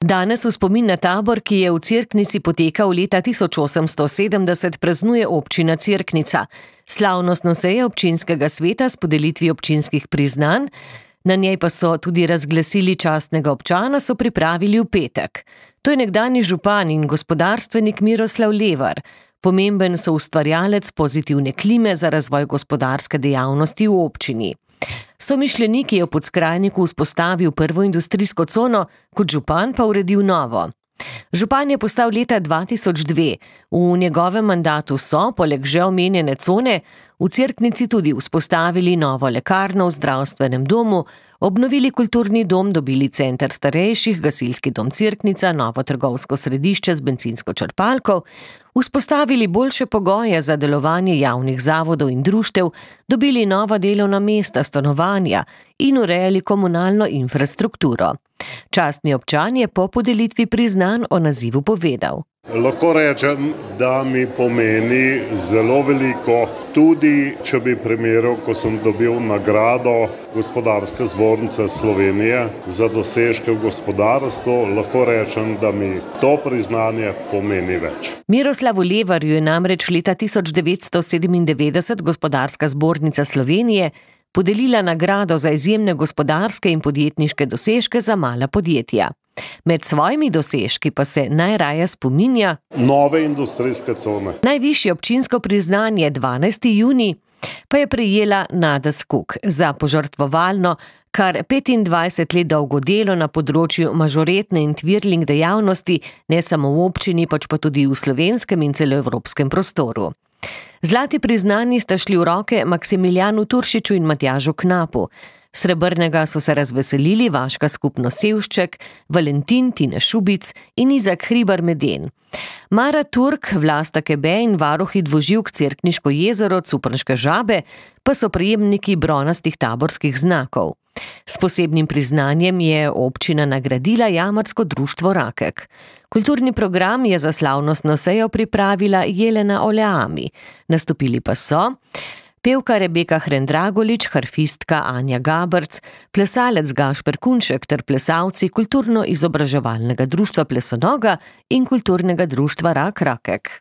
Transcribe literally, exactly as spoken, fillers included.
Danes v spomin na tabor, ki je v Cerknici potekal leta tisoč osemsto sedemdeset, praznuje občina Cerknica. Slavnostno seje občinskega sveta s podelitvijo občinskih priznanj, na njej pa so tudi razglasili častnega občana, so pripravili v petek. To je nekdanji župan in gospodarstvenik Miroslav Levar. Pomemben soustvarjalec pozitivne klime za razvoj gospodarske dejavnosti v občini. Somišljenik je v Podskrajniku vzpostavil prvo industrijsko cono, kot župan pa uredil novo. Župan je postal leta dva tisoč dve. V njegovem mandatu so, poleg že omenjene cone, v Cerknici tudi vzpostavili novo lekarno v zdravstvenem domu, obnovili kulturni dom, dobili center starejših, gasilski dom Cerknica, novo trgovsko središče z bencinsko črpalko, vzpostavili boljše pogoje za delovanje javnih zavodov in društev, dobili nova delovna mesta, stanovanja in urejali komunalno infrastrukturo. Častni občan je po podelitvi priznanj o nazivu povedal. Lahko rečem, da mi pomeni zelo veliko, tudi če bi primerjal, ko sem dobil nagrado Gospodarske zbornice Slovenije za dosežke v gospodarstvu, lahko rečem, da mi to priznanje pomeni več. Miroslavu Levarju je namreč leta tisoč devetsto sedemindevetdeset Gospodarska zbornica Slovenije podelila nagrado za izjemne gospodarske in podjetniške dosežke za mala podjetja. Med svojimi dosežki pa se najraje spominja nove industrijske cone. Najvišje občinsko priznanje dvanajsti junij pa je prejela Nada Skok za požrtvovalno, kar petindvajset let dolgo delo na področju mažoretne in twirling dejavnosti, ne samo v občini, pač pa tudi v slovenskem in celoevropskem prostoru. Zlati priznanji sta šli v roke Maksimiljanu Turšiču in Matjažu Knapu. Srebrnega so se razveselili Vaška skupnost Sevšček, Valentin Tine Šubic in Izak Hribar Meden. Mara Turk, Vlasta Kebe in varuhi dvoživk Cerkniško jezero, Cuprnške žabe pa so prejemniki bronastih taborskih znakov. S posebnim priznanjem je občina nagradila Jamarsko društvo Rakek. Kulturni program je za slavnostno sejo pripravila Jelena Oleami. Nastopili pa so pevka Rebeka Hrendragolič, harfistka Anja Gabrc, plesalec Gašper Kunšek ter plesalci Kulturno-izobraževalnega društva Plesonoga in Kulturnega društva Rak Rakek.